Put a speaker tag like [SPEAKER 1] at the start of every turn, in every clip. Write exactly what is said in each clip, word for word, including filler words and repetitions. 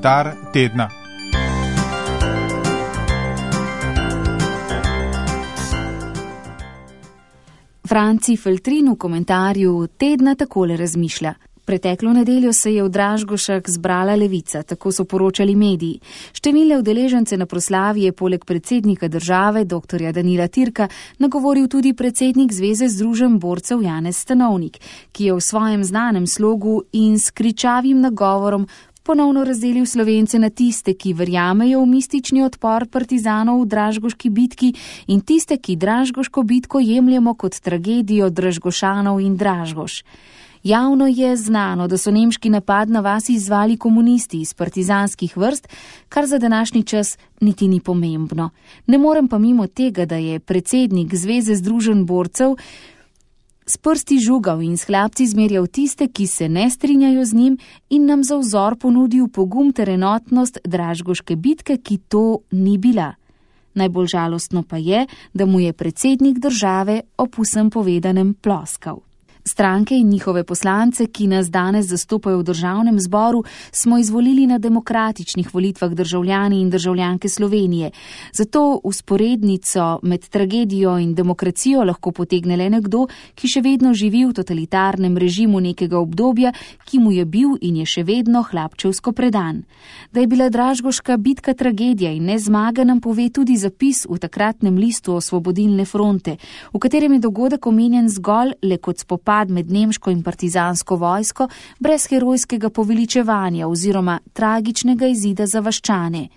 [SPEAKER 1] komentar tedna.
[SPEAKER 2] Franci Feltrin v komentarju tedna takole razmišlja. Preteklo nedeljo se je v Dražgošah zbrala levica, tako so poročali mediji. Številne udeležence na proslavi je poleg predsednika države, doktorja Danila Türka, nagovoril tudi predsednik Zveze združenj borcev Janez Stanovnik, ki je v svojem znanem slogu in s kričavim nagovorom ponovno razdelil Slovence na tiste, ki verjamejo v mistični odpor partizanov v Dražgoški bitki in tiste, ki Dražgoško bitko jemljemo kot tragedijo Dražgošanov in Dražgoš. Javno je znano, da so nemški napad na vas izvali komunisti iz partizanskih vrst, kar za današnji čas niti ni pomembno. Ne morem pa mimo tega, da je predsednik Zveze združenj borcev s prsti žugal in s hlapci zmerjal tiste, ki se ne strinjajo z njim in nam za vzor ponudil pogum ter enotnost Dražgoške bitke, ki to ni bila. Najbolj žalostno pa je, da mu je predsednik države ob vsem povedanem ploskal. Stranke in njihove poslance, ki nas danes zastopajo v državnem zboru, smo izvolili na demokratičnih volitvah državljani in državljanke Slovenije. Zato usporednico med tragedijo in demokracijo lahko potegne le nekdo, ki še vedno živi v totalitarnem režimu nekega obdobja, ki mu je bil in je še vedno hlapčevsko predan. Da je bila Dražgoška bitka tragedija in ne zmaga, nam pove tudi zapis v takratnem listu Osvobodilne fronte, v katerem je dogodek omenjen zgolj le kot spopad med nemško in partizansko vojsko brez herojskega poveličevanja oziroma tragičnega izida za vaščane.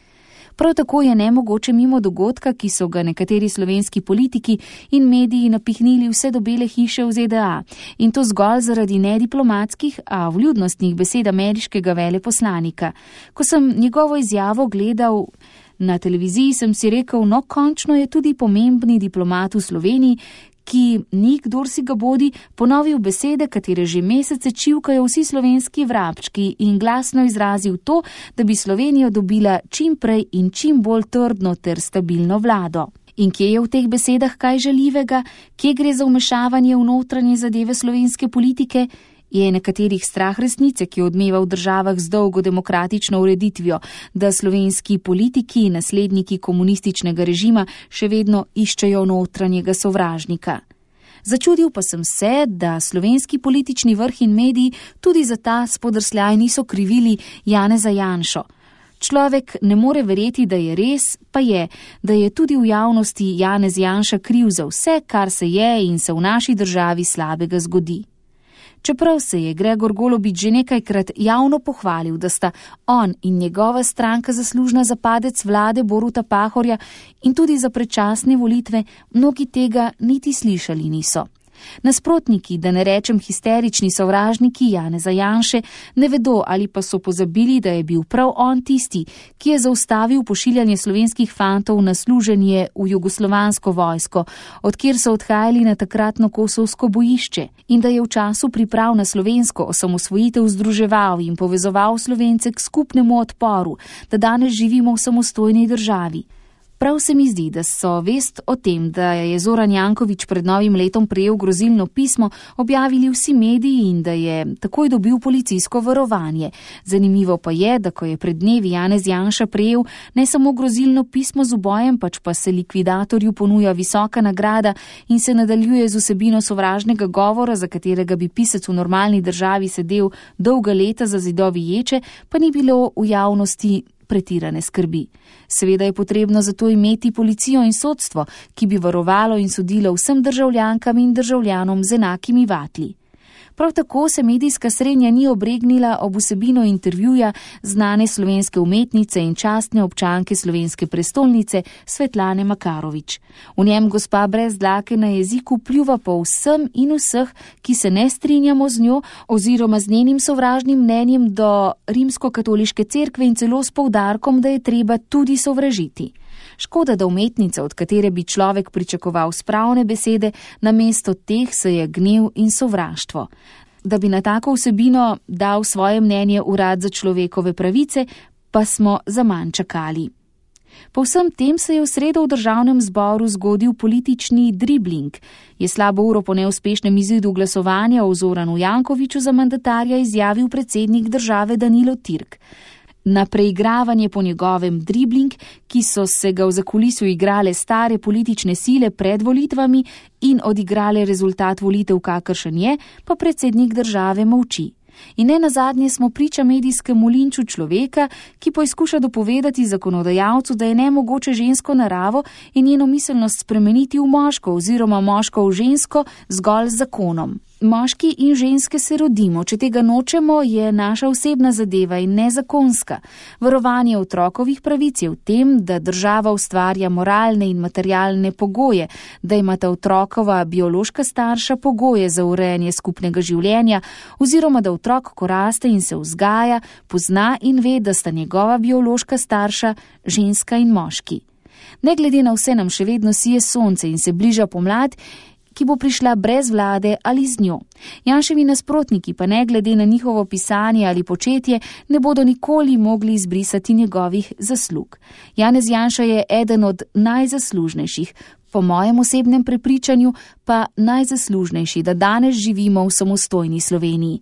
[SPEAKER 2] Prav tako je nemogoče mimo dogodka, ki so ga nekateri slovenski politiki in mediji napihnili vse do Bele hiše v Z D A, in to zgolj zaradi nediplomatskih, a vljudnostnih besed ameriškega veleposlanika. Ko sem njegovo izjavo gledal na televiziji, sem si rekel, no končno je tudi pomembni diplomat v Sloveniji, ki ni, kdor si ga bodi, ponovil besede, katere že mesece čivkajo vsi slovenski vrabčki in glasno izrazil to, da bi Slovenija dobila čim prej in čim bolj trdno ter stabilno vlado. In kje je v teh besedah kaj žaljivega, kje gre za vmešavanje v notranje zadeve slovenske politike? Je nekaterih strah resnice, ki odmeva v državah z dolgo demokratično ureditvijo, da slovenski politiki in nasledniki komunističnega režima še vedno iščejo notranjega sovražnika. Začudil pa sem se, da slovenski politični vrh in mediji tudi za ta spodrsljaj niso krivili Janeza Janšo. Človek ne more verjeti, da je res, pa je, da je tudi v javnosti Janez Janša kriv za vse, kar se je in se v naši državi slabega zgodi. Čeprav se je Gregor Golobič že nekajkrat javno pohvalil, da sta on in njegova stranka zaslužna za padec vlade Boruta Pahorja in tudi za predčasne volitve, mnogi tega niti slišali niso. Nasprotniki, da ne rečem histerični sovražniki Janeza Janše, ne vedo ali pa so pozabili, da je bil prav on tisti, ki je zaustavil pošiljanje slovenskih fantov na služenje v jugoslovansko vojsko, odkjer so odhajali na takratno kosovsko bojišče, in da je v času priprav na slovensko osamosvojitev združeval in povezoval Slovence k skupnemu odporu, da danes živimo v samostojni državi. Prav se mi zdi, da so vest o tem, da je Zoran Janković pred novim letom prejel grozilno pismo, objavili vsi mediji in da je takoj dobil policijsko varovanje. Zanimivo pa je, da ko je pred dnevi Janez Janša prejel ne samo grozilno pismo z ubojem, pač pa se likvidatorju ponuja visoka nagrada in se nadaljuje z vsebino sovražnega govora, za katerega bi pisec v normalni državi sedel dolga leta za zidovi ječe, pa ni bilo v javnosti pretirane skrbi. Seveda je potrebno zato imeti policijo in sodstvo, ki bi varovalo in sodilo vsem državljankam in državljanom z enakimi vatli. Prav tako se medijska srenja ni obregnila ob vsebino intervjuja znane slovenske umetnice in častne občanke slovenske prestolnice Svetlane Makarovič. V njem gospa brez dlake na jeziku pljuva po vsem in vseh, ki se ne strinjamo z njo oziroma z njenim sovražnim mnenjem do rimskokatoliške cerkve in celo s poudarkom, da je treba tudi sovražiti. Škoda, da umetnica, od katere bi človek pričakoval spravne besede, namesto teh se je gnev in sovraštvo. Da bi na tako vsebino dal svoje mnenje Urad za človekove pravice, pa smo zaman čakali. Po vsem tem se je v sredo v državnem zboru zgodil politični dribling. Je slabo uro po neuspešnem izidu glasovanja o Zoranu Jankoviću za mandatarja izjavil predsednik države Danilo Türk. na preigravanje po njegovem dribling, ki so se ga v zakulisju igrale stare politične sile pred volitvami in odigrale rezultat volitev, kakršen je, pa predsednik države molči. In ne nazadnje smo priča medijskemu linču človeka, ki poizkuša dopovedati zakonodajalcu, da je nemogoče žensko naravo in njeno miselnost spremeniti v moško oziroma moško v žensko zgolj z zakonom. Moški in ženske se rodimo, če tega nočemo, je naša osebna zadeva in nezakonska. Varovanje otrokovih pravic je v tem, da država ustvarja moralne in materialne pogoje, da imata otrokova biološka starša pogoje za urejanje skupnega življenja oziroma da otrok, ko raste in se vzgaja, pozna in ve, da sta njegova biološka starša ženska in moški. Ne glede na vse nam še vedno sije sonce in se bliža pomlad, ki bo prišla brez vlade ali z njo. Janševi nasprotniki pa ne glede na njihovo pisanje ali početje ne bodo nikoli mogli izbrisati njegovih zaslug. Janez Janša je eden od najzaslužnejših, po mojem osebnem prepričanju pa najzaslužnejši, da danes živimo v samostojni Sloveniji.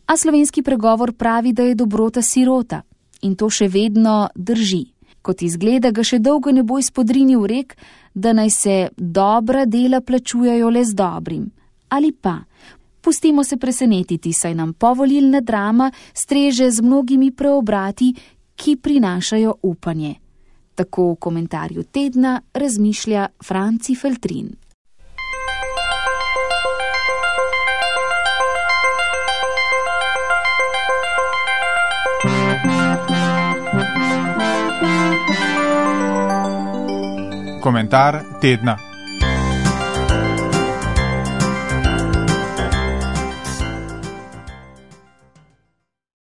[SPEAKER 2] A slovenski pregovor pravi, da je dobrota sirota. In to še vedno drži. Kot izgleda, ga še dolgo ne bo izpodrinil rek, da naj se dobra dela plačujejo le z dobrim. Ali pa, pustimo se presenetiti, saj nam povolilna drama streže z mnogimi preobrati, ki prinašajo upanje. Tako v komentarju tedna razmišlja Franci Feltrin.
[SPEAKER 1] Komentar tedna.